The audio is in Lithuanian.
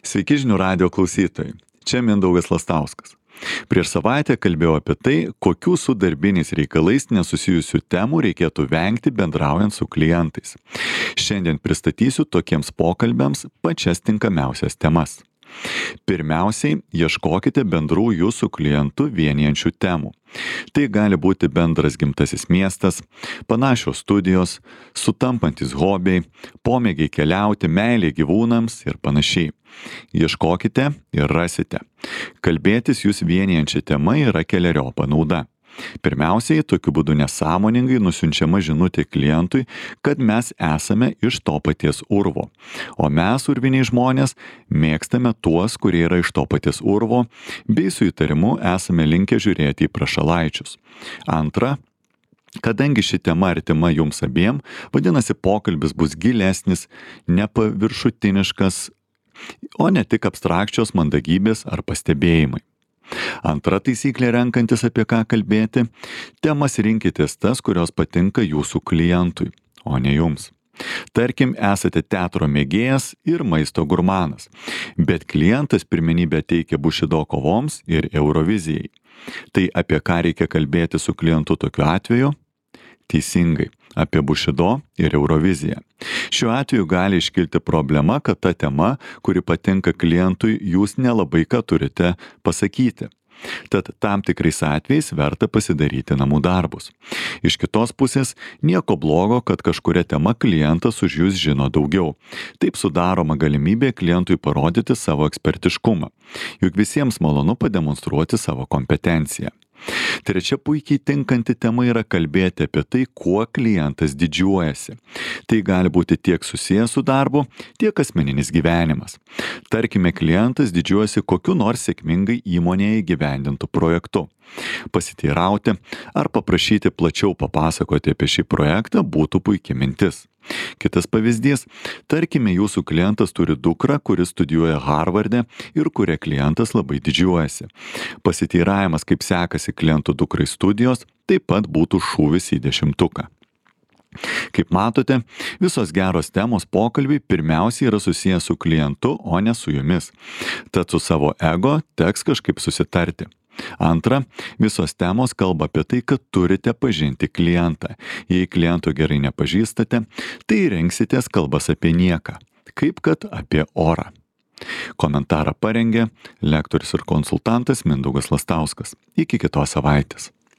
Sveiki žinių radijo klausytojai. Čia Mindaugas Lastauskas. Prieš savaitę kalbėjau apie tai, kokių su darbiniais reikalais nesusijusių temų reikėtų vengti bendraujant su klientais. Šiandien pristatysiu tokiems pokalbiams pačias tinkamiausias temas. Pirmiausiai, ieškokite bendrų jūsų klientų vienijančių temų. Tai gali būti bendras gimtasis miestas, panašios studijos, sutampantis hobiai, pomėgiai keliauti, meilė gyvūnams ir panašiai. Ieškokite ir rasite. Kalbėtis jūs vienijančia tema yra keleriopa nauda. Pirmiausiai, tokiu būdu nesąmoningai nusiunčiama žinutė klientui, kad mes esame iš to paties urvo. O mes, urviniai žmonės, mėgstame tuos, kurie yra iš to paties urvo, bei su įtarimu esame linkę žiūrėti į prašalaičius. Antra, kadangi ši tema artima jums abiem, vadinasi, pokalbis bus gilesnis, nepaviršutiniškas, o ne tik abstrakčios mandagybės ar pastebėjimai. Antra taisyklė renkantis apie ką kalbėti, temas rinkitės tas, kurios patinka jūsų klientui, o ne jums. Tarkim, esate teatro mėgėjas ir maisto gurmanas, bet klientas pirmenybę teikia Bušido kovoms ir Eurovizijai. Tai apie ką reikia kalbėti su klientu tokiu atveju? Teisingai, apie Bušido ir Euroviziją. Šiuo atveju gali iškilti problema, kad ta tema, kuri patinka klientui, jūs nelabai ką turite pasakyti. Tad tam tikrais atvejais verta pasidaryti namų darbus. Iš kitos pusės, nieko blogo, kad kažkuria tema klientas už jūs žino daugiau. Taip sudaroma galimybė klientui parodyti savo ekspertiškumą. Juk visiems malonu pademonstruoti savo kompetenciją. Trečia puikiai tinkanti tema yra kalbėti apie tai, kuo klientas didžiuojasi. Tai gali būti tiek susijęs su darbu, tiek asmeninis gyvenimas. Tarkime, klientas didžiuojasi kokiu nors sėkmingai įmonėje įgyvendintų projektu. Pasiteirauti ar paprašyti plačiau papasakoti apie šį projektą būtų puikia mintis. Kitas pavyzdys, tarkime, jūsų klientas turi dukrą, kuris studijuoja Harvarde ir kuria klientas labai didžiuojasi. Pasiteiravimas, kaip sekasi klientų dukrai studijos, taip pat būtų šūvis į 10. Kaip matote, visos geros temos pokalbiai pirmiausiai yra susijęs su klientu, o ne su jumis. Tad su savo ego teks kažkaip susitarti. Antra, visos temos kalba apie tai, kad turite pažinti klientą. Jei kliento gerai nepažįstate, tai rinksitės kalbas apie nieką, kaip kad apie orą. Komentarą parengė lektorius ir konsultantas Mindaugas Lastauskas. Iki kitos savaitės.